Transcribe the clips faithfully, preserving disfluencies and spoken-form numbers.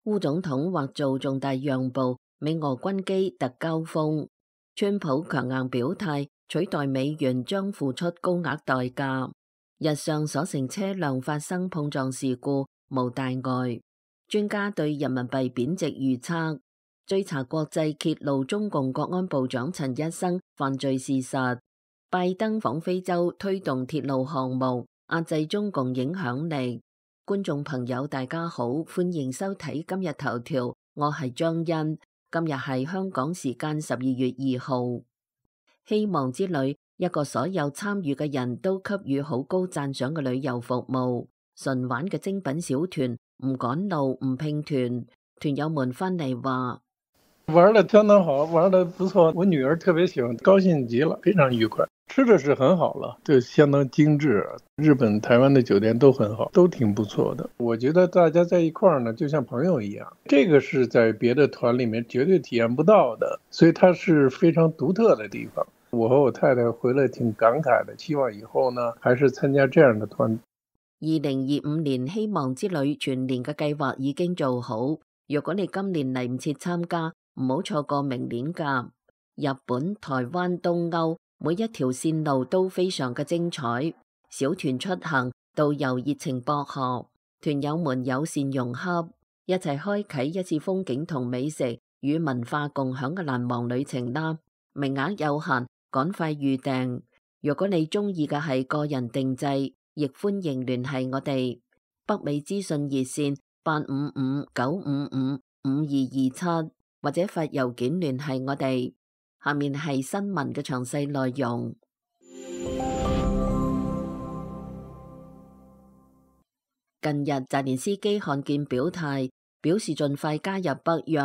烏總統或做重大讓步，美俄軍機突交鋒。川普強硬表態，取代美元將付出高額代價。日上所乘車輛發生碰撞事故，無大礙。專家對人民幣貶值預測。追查國際揭露中共國安部長陳一生犯罪事實。拜登訪非洲推動鐵路項目，壓制中共影響力。觀眾朋友大家好，歡迎收睇今日頭條，我係張欣。今日係香港時間十二月二號。希望之旅，一個所有參與嘅人都給予好高讚賞嘅旅遊服務。純玩嘅精品小團，唔趕路唔拼團，團友們翻嚟話。玩得相當好，玩得不錯，我女兒特別喜歡，高興極了，非常愉快。吃的是很好了，就相當精緻。日本、台灣的酒店都很好，都挺不錯的。我覺得大家在一塊兒呢，就像朋友一樣，這個是在別的團裡面絕對體驗不到的，所以它是非常獨特的地方。我和我太太回來挺感慨的，希望以後呢，還是參加這樣的團。二零二五年希望之旅全年嘅計劃已經做好，如果你今年嚟唔切參加，唔好錯過明年㗎。日本、台灣、東歐每一條線路都非常嘅精彩。小團出行，導遊熱情博學，團友們友善融洽，一齊開啟一次風景同美食與文化共享嘅難忘旅程啦！名額有限，趕快預訂。如果你中意嘅係個人定製，亦歡迎聯繫我哋。北美資訊熱線八五五九五五五二二七。或者發郵件聯繫我哋。下面係新聞嘅詳細內容。近日澤連斯基罕見表態，表示盡快加入北約，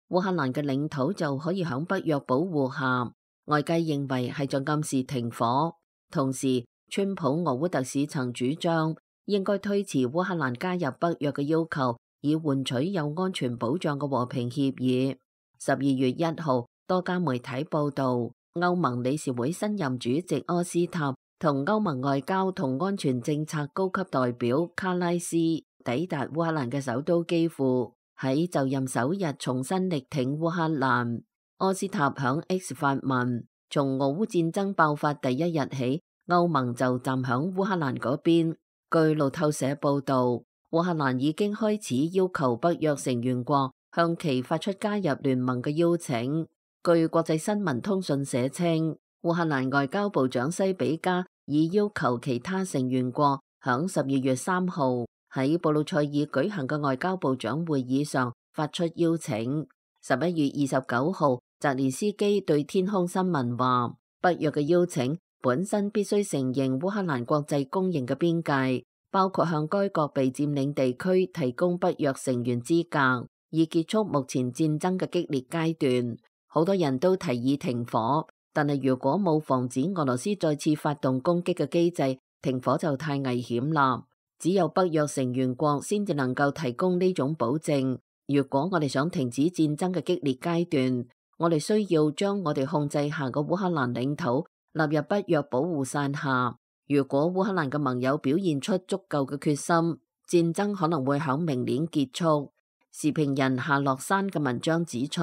烏克蘭嘅領土就可以響北約保護下。外界認為係在暗示停火。同時，川普俄烏特使曾主張應該推遲烏克蘭加入北約嘅要求，以換取有安全保障嘅和平協議。十二月一號，多家媒體報道，歐盟理事會新任主席柯斯塔同歐盟外交同安全政策高級代表卡拉斯抵達烏克蘭嘅首都基輔，喺就任首日重新力挺烏克蘭。柯斯塔響 X 發文，從俄烏戰爭爆發第一日起，歐盟就站響烏克蘭嗰邊。據路透社報道，烏克蘭已經開始要求北約成員國向其發出加入聯盟嘅邀請。據國際新聞通訊社稱，烏克蘭外交部長西比加已要求其他成員國響十二月三號喺布魯塞爾舉行嘅外交部長會議上發出邀請。十一月二十九號，澤連斯基對天空新聞話，北約嘅邀請本身必須承認烏克蘭國際公認嘅邊界，包括向該國被佔領地區提供北約成員資格，以結束目前戰爭嘅激烈階段。好多人都提議停火，但係如果冇防止俄羅斯再次發動攻擊嘅機制，停火就太危險啦。只有北約成員國先至能夠提供呢種保證。如果我哋想停止戰爭嘅激烈階段，我哋需要將我哋控制下嘅烏克蘭領土納入北約保護傘下。如果烏克蘭嘅盟友表現出足夠嘅決心，戰爭可能會響明年結束。時評人夏洛山嘅文章指出，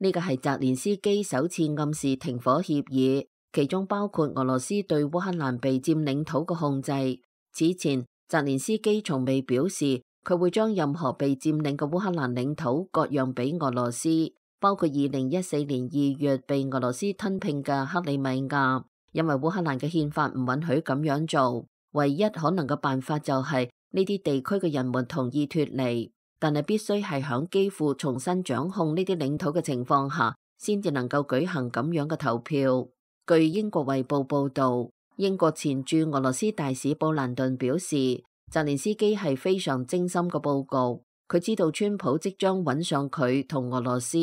呢個係澤連斯基首次暗示停火協議，其中包括俄羅斯對烏克蘭被佔領土嘅控制。此前，澤連斯基從未表示佢會將任何被佔領嘅烏克蘭領土割讓俾俄羅斯，包括二零一四年二月被俄羅斯吞併嘅克里米亞，因為烏克蘭嘅憲法唔允許咁樣做。唯一可能嘅辦法就係呢啲地區嘅人們同意脫離。但係必須係響基輔重新掌控呢啲領土嘅情況下，先至能夠舉行咁樣嘅投票。據英國衛報報道，英國前駐俄羅斯大使布蘭頓表示，澤連斯基係非常精心嘅報告，佢知道川普即將揾上佢同俄羅斯，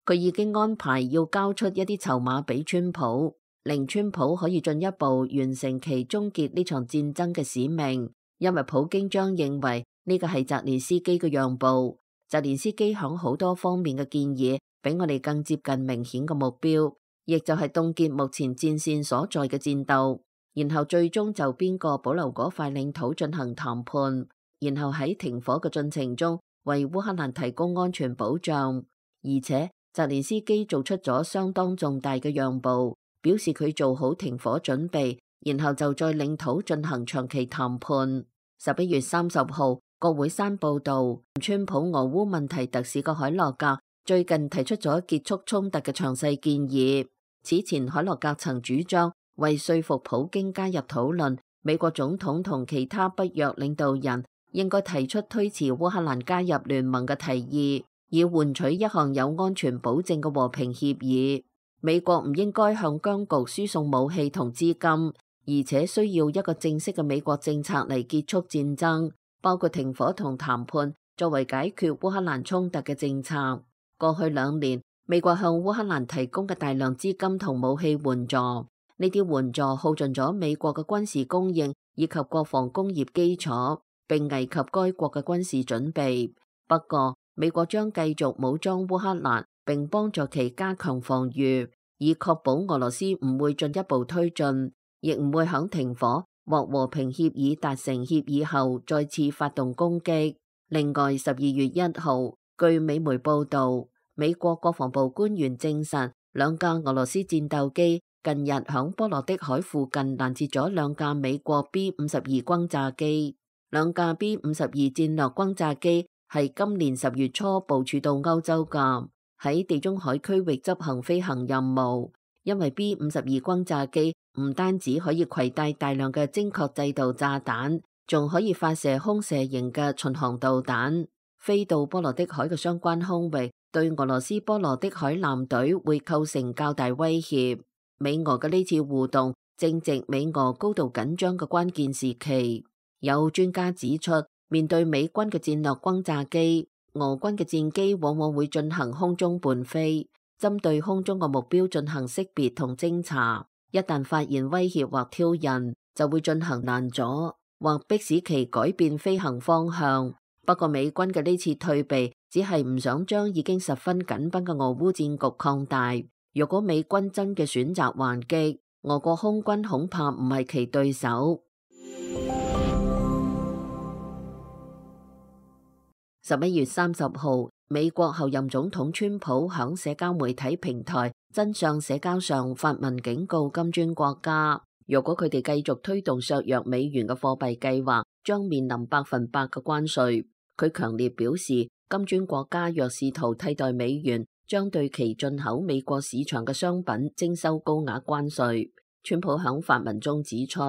佢已經安排要交出一啲籌碼俾川普，令川普可以進一步完成其終結呢場戰爭嘅使命，因為普京將認為呢個係澤連斯基嘅讓步。澤連斯基響好多方面嘅建議比我哋更接近明顯嘅目標，亦就係凍結目前戰線所在嘅戰鬥，然後最終就邊個保留嗰塊領土進行談判，然後喺停火嘅進程中為烏克蘭提供安全保障，而且澤連斯基做出咗相當重大嘅讓步，表示佢做好停火準備，然後就在領土進行長期談判。十一月三十號，國會山報道，川普俄烏問題特使嘅海洛格最近提出咗結束衝突嘅詳細建議。此前海洛格曾主張為說服普京加入討論，美國總統同其他北約領導人應該提出推遲烏克蘭加入聯盟嘅提議，以換取一項有安全保證嘅和平協議。美國唔應該向僵局輸送武器同資金，而且需要一個正式嘅美國政策嚟結束戰爭，包括停火同談判作為解決烏克蘭衝突嘅政策。過去兩年，美國向烏克蘭提供嘅大量資金同武器援助，呢啲援助耗盡咗美國嘅軍事供應以及國防工業基礎，並危及該國嘅軍事準備。不過，美國將繼續武裝烏克蘭，並幫助其加強防禦，以確保俄羅斯唔會進一步推進，亦唔會響停火或和平協議達成協議後再次發動攻擊。另外，十二月一號，據美媒報道，美國國防部官員證實，兩架俄羅斯戰鬥機近日響波羅的海附近攔截咗兩架美國 B 五十二轟炸機。兩架 B 五十二戰略轟炸機係今年十月初部署到歐洲㗎，喺地中海區域執行飛行任務。因為 B 五十二轟炸機唔單止可以攜帶大量嘅精確制導炸彈，仲可以發射空射型嘅巡航導彈。飛到波羅的海嘅相關空域，對俄羅斯波羅的海艦隊會構成較大威脅。美俄嘅呢次互動正值美俄高度緊張嘅關鍵時期。有專家指出，面對美軍嘅戰略轟炸機，俄軍嘅戰機往往會進行空中伴飛，針對空中嘅目標進行識別同偵查。一旦發現威脅或挑釁，就會進行攔阻或迫使其改變飛行方向。不過美軍嘅呢次退避只係唔想將已經十分緊繃嘅俄烏戰局擴大。如果美軍真嘅選擇還擊，俄國空軍恐怕唔係其對手。十一月三十號，美國後任總統川普響社交媒體平台真相社交上發文警告金磚國家，如果佢哋繼續推動削弱美元嘅貨幣計劃，將面臨百分百嘅關稅。佢強烈表示，金磚國家若試圖替代美元，將對其進口美國市場嘅商品徵收高額關稅。川普響發文中指出，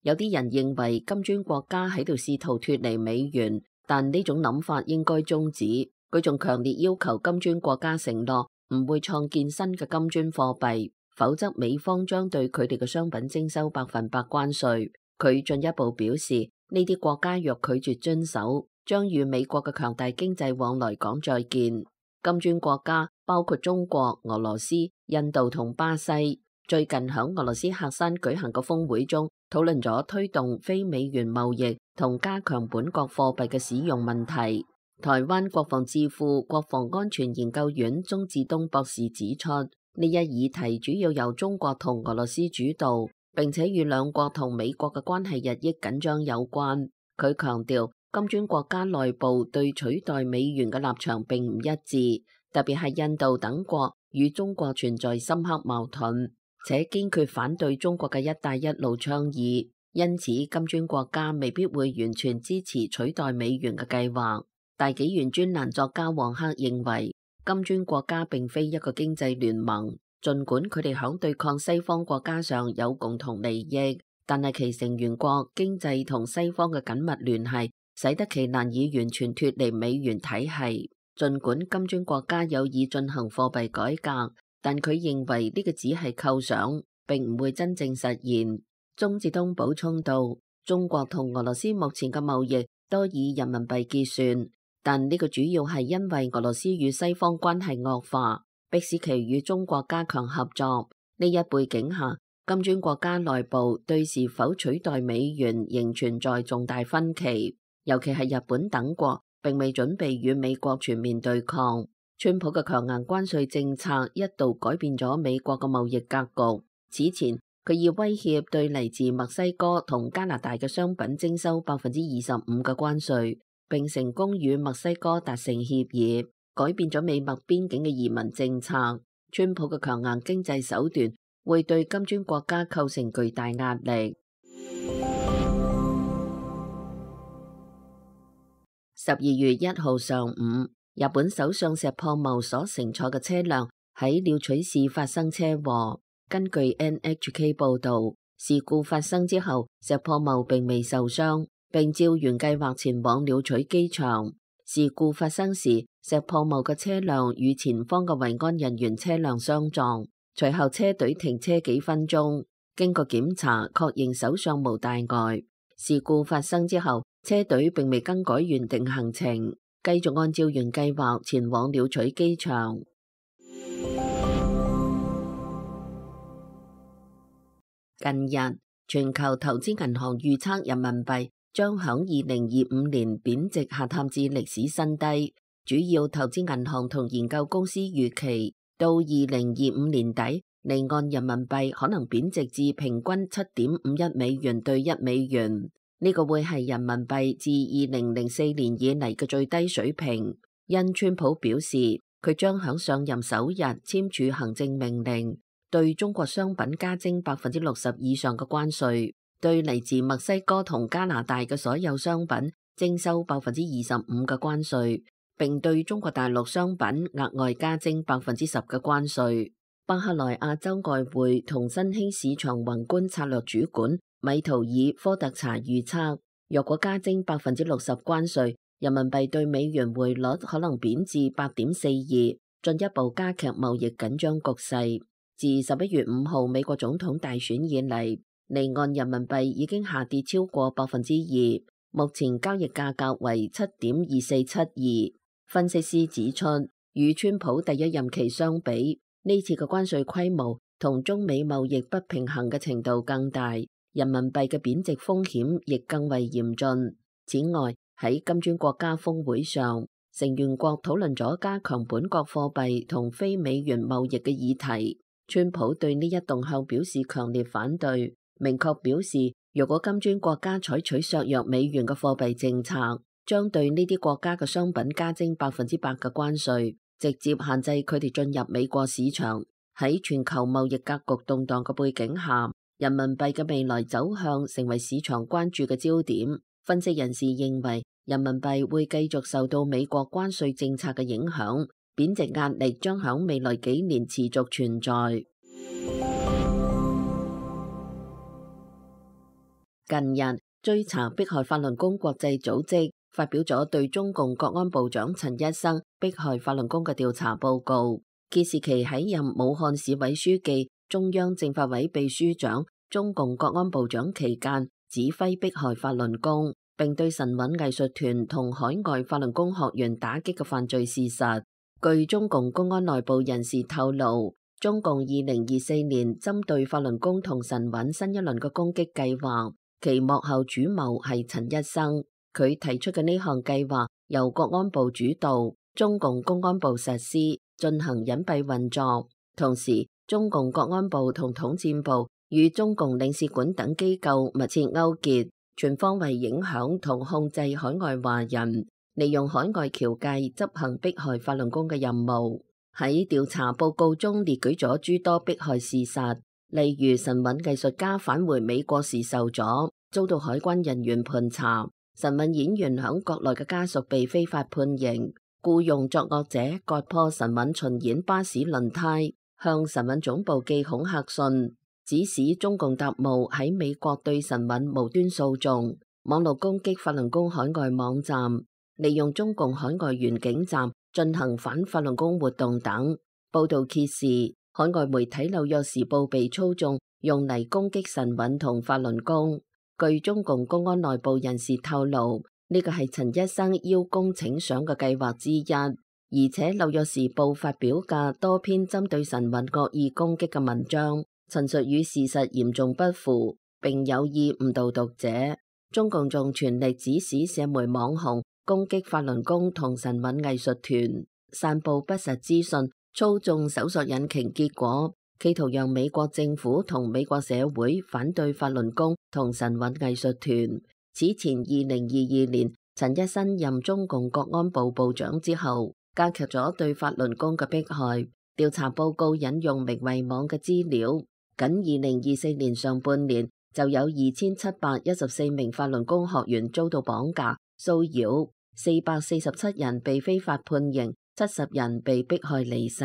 有啲人認為金磚國家喺度試圖脫離美元，但呢種諗法應該終止。佢仲強烈要求金磚國家承諾唔會創建新嘅金磚貨幣，否則美方將對佢哋嘅商品徵收百分百關稅。佢進一步表示，呢啲國家若拒絕遵守，將與美國嘅強大經濟往來講再見。金磚國家包括中國、俄羅斯、印度同巴西，最近響俄羅斯喀山舉行嘅峰會中，討論咗推動非美元貿易同加強本國貨幣嘅使用問題。台灣國防智庫國防安全研究院鍾志東博士指出，呢一議題主要由中國同俄羅斯主導，並且與兩國同美國嘅關係日益緊張有關。佢強調，金磚國家內部對取代美元嘅立場並唔一致，特別係印度等國與中國存在深刻矛盾，且堅決反對中國嘅一帶一路倡議，因此金磚國家未必會完全支持取代美元嘅計劃。大紀元專欄作家黃克認為，金磚國家並非一個經濟聯盟，儘管佢哋響對抗西方國家上有共同利益，但係其成員國經濟同西方嘅緊密聯繫，使得其難以完全脫離美元體系。儘管金磚國家有意進行貨幣改革，但佢認為呢個只係構想，並唔會真正實現。鍾志東補充道，中國同俄羅斯目前嘅貿易多以人民幣結算，但呢個主要係因為俄羅斯與西方關係惡化，迫使其與中國加強合作。呢一背景下，金磚國家內部對是否取代美元仍存在重大分歧，尤其係日本等國並未準備與美國全面對抗。川普嘅強硬關稅政策一度改變咗美國嘅貿易格局。此前，佢以威脅對嚟自墨西哥同加拿大嘅商品徵收百分之二十五嘅關稅。並成功與墨西哥達成協議，改變咗美墨邊境嘅移民政策。川普嘅強硬經濟手段會對金磚國家構成巨大壓力。十二月一號上午，日本首相石破茂所乘坐嘅車輛喺鳥取市發生車禍。根據 N H K 報導，事故發生之後，石破茂並未受傷，並照原計劃前往鳥取機場。事故發生時，石破茂嘅車輛與前方嘅維安人員車輛相撞，隨後車隊停車幾分鐘，經過檢查確認首相無大礙。事故發生之後，車隊並未更改原定行程，繼續按照原計劃前往鳥取機場。近日，全球投資銀行預測人民幣將響二零二五年貶值下探至歷史新低。主要投資銀行同研究公司預期，到二零二五年底，離岸人民幣可能貶值至平均七點五一美元兌一美元。呢個會係人民幣自二零零四年以嚟嘅最低水平。因川普表示，佢將響上任首日簽署行政命令，對中國商品加徵百分之六十以上嘅關稅，對嚟自墨西哥同加拿大嘅所有商品徵收百分之二十五嘅關稅，並對中國大陸商品額外加徵百分之十嘅關稅。巴克萊亞洲外匯同新興市場宏觀策略主管米圖爾科特查預測，若果加徵百分之六十關稅，人民幣對美元匯率可能貶至八點四二，進一步加劇貿易緊張局勢。自十一月五號美國總統大選以嚟，離岸人民幣已經下跌超過百分之二，目前交易價格為七點二四七二。分析師指出，與川普第一任期相比，呢次嘅關稅規模同中美貿易不平衡嘅程度更大，人民幣嘅貶值風險亦更為嚴峻。此外，喺金磚國家峰會上，成員國討論咗加強本國貨幣同非美元貿易嘅議題。川普對呢一動向表示強烈反對，明確表示，如果金磚國家採取削弱美元嘅貨幣政策，將對呢啲國家嘅商品加徵百分之百嘅關稅，直接限制佢哋進入美國市場。喺全球貿易格局動盪嘅背景下，人民幣嘅未來走向成為市場關注嘅焦點。分析人士認為，人民幣會繼續受到美國關稅政策嘅影響，貶值壓力將響未來幾年持續存在。近日，追查迫害法輪功國際組織發表咗對中共國安部長陳一生迫害法輪功嘅調查報告，揭示其喺任武漢市委書記、中央政法委秘書長、中共國安部長期間指揮迫害法輪功，並對神韻藝術團同海外法輪功學員打擊嘅犯罪事實。據中共公安內部人士透露，中共二零二四年針對法輪功同神韻新一輪嘅攻擊計劃，其幕後主謀係陳一生。佢提出嘅呢項計劃由國安部主導，中共公安部實施，進行隱蔽運作。同時，中共國安部同統戰部與中共領事館等機構密切勾結，全方位影響同控制海外華人，利用海外僑界執行迫害法輪功嘅任務。喺調查報告中列舉咗諸多迫害事實，例如神韻藝術家返回美國時受阻，遭到海關人員盤查；神韻演員響國內嘅家屬被非法判刑；僱用作惡者割破神韻巡演巴士輪胎，向神韻總部寄恐嚇信，指使中共特務喺美國對神韻無端訴訟；網絡攻擊法輪功海外網站，利用中共海外原警站進行反法輪功活動等。報道揭示，海外媒體《紐約時報》被操縱，用嚟攻擊神韻同法輪功。據中共公安內部人士透露，呢個係陳一生邀功請賞嘅計劃之一，而且《紐約時報》發表嘅多篇針對神韻惡意攻擊嘅文章，陳述與事實嚴重不符，並有意誤導讀者。中共仲全力指使社媒網紅攻擊法輪功同神韻藝術團，散布不實資訊，操縱搜索引擎結果，企圖讓美國政府同美國社會反對法輪功同神韻藝術團。此前二零二二年，陳一新任中共國安部部長之後，加劇咗對法輪功嘅迫害。調查報告引用明慧網嘅資料，僅二零二四年上半年就有二千七百一十四名法輪功學員遭到綁架、騷擾，四百四十七人被非法判刑，七十人被迫害離世。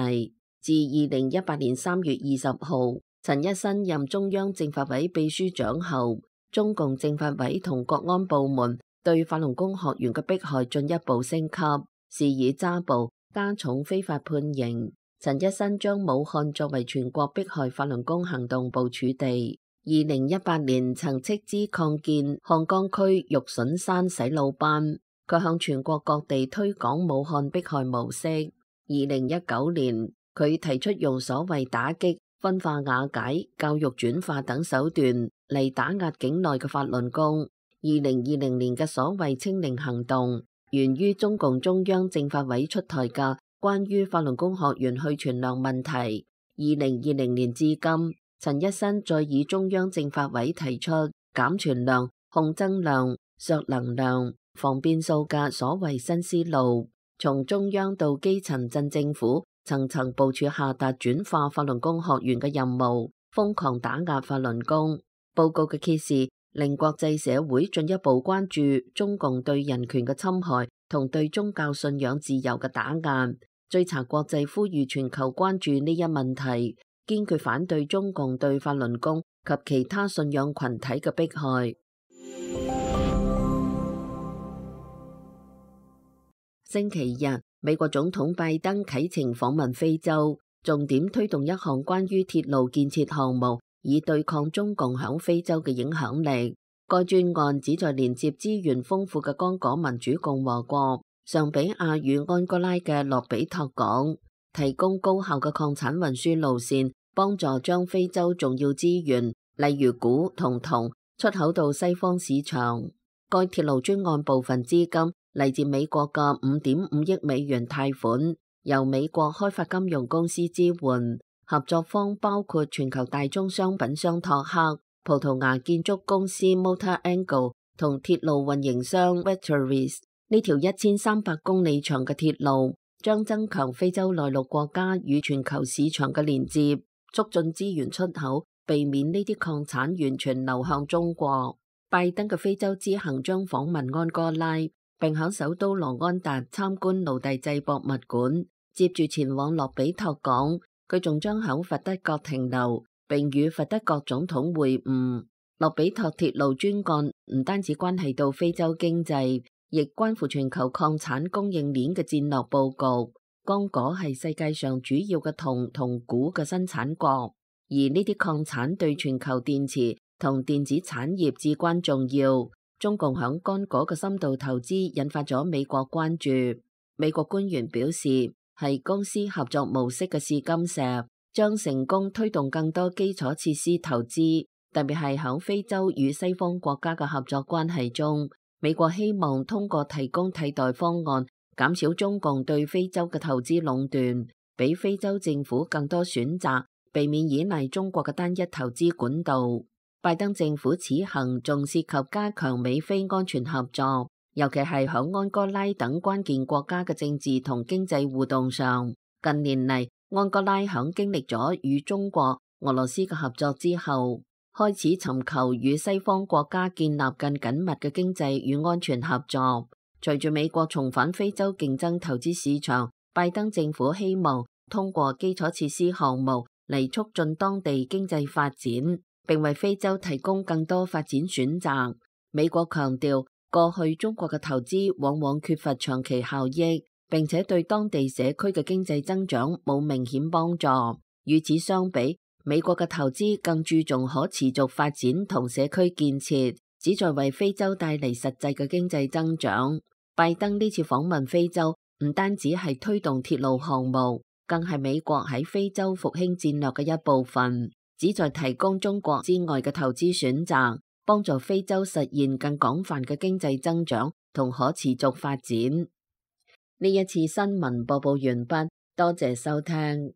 自二零一八年三月二十號，陳一新任中央政法委秘書長後，中共政法委同國安部門對法輪功學員嘅迫害進一步升級，是以抓捕、加重非法判刑。陳一新將武漢作為全國迫害法輪功行動部署地。二零一八年曾斥資擴建漢江區玉筍山洗腦班，佢向全國各地推廣武漢迫害模式。二零一九年，佢提出用所謂打擊、分化瓦解、教育轉化等手段嚟打壓境內嘅法輪功。二零二零年嘅所謂清零行動，源於中共中央政法委出台嘅關於法輪功學員去傳量問題。二零二零年至今，陳一新再以中央政法委提出減傳量、控增量、削能量、防變數嘅所謂新思路，從中央到基層鎮政府，層層部署下達轉化法輪功學員嘅任務，瘋狂打壓法輪功。報告嘅揭示令國際社會進一步關注中共對人權嘅侵害同對宗教信仰自由嘅打壓。追查國際呼籲全球關注呢一問題，堅決反對中共對法輪功及其他信仰群體嘅迫害。星期日，美國總統拜登啟程訪問非洲，重點推動一項關於鐵路建設項目，以對抗中共響非洲嘅影響力。該專案旨在連接資源豐富嘅剛果民主共和國尚比亞與安哥拉嘅洛比托港，提供高效嘅礦產運輸路線，幫助將非洲重要資源，例如鈷同銅，出口到西方市場。該鐵路專案部分資金嚟自美國嘅五點五億美元貸款，由美國開發金融公司支援。合作方包括全球大宗商品商托克、葡萄牙建築公司 Mota-Engil 同鐵路運營商 Vectaris。呢條一千三百公里長嘅鐵路將增強非洲內陸國家與全球市場嘅連接，促進資源出口，避免呢啲礦產完全流向中國。拜登嘅非洲之行將訪問安哥拉，並喺首都羅安達參觀奴隸制博物館，接住前往洛比托港。佢仲將喺佛得角停留，並與佛得角總統會晤。洛比托鐵路專案唔單止關係到非洲經濟，亦關乎全球礦產供應鏈嘅戰略佈局。剛果係世界上主要嘅銅同鈷嘅生產國，而呢啲礦產對全球電池同電子產業至關重要。中共響剛果嘅深度投資引發咗美國關注。美國官員表示，係公司合作模式嘅試金石，將成功推動更多基礎設施投資，特別係響非洲與西方國家嘅合作關係中。美國希望通過提供替代方案，減少中共對非洲嘅投資壟斷，俾非洲政府更多選擇，避免依賴中國嘅單一投資管道。拜登政府此行仲涉及加強美非安全合作，尤其係響安哥拉等關鍵國家嘅政治同經濟互動上。近年嚟，安哥拉響經歷咗與中國、俄羅斯嘅合作之後，開始尋求與西方國家建立更緊密嘅經濟與安全合作。隨住美國重返非洲競爭投資市場，拜登政府希望通過基礎設施項目嚟促進當地經濟發展，並為非洲提供更多發展選擇。美國強調，過去中國嘅投資往往缺乏長期效益，並且對當地社區嘅經濟增長冇明顯幫助。與此相比，美國嘅投資更注重可持續發展同社區建設，旨在為非洲帶嚟實際嘅經濟增長。拜登呢次訪問非洲，唔單止係推動鐵路項目，更係美國喺非洲復興戰略嘅一部分，旨在提供中國之外嘅投資選擇，幫助非洲實現更廣泛嘅經濟增長同可持續發展。呢一次新聞播報完畢，多謝收聽。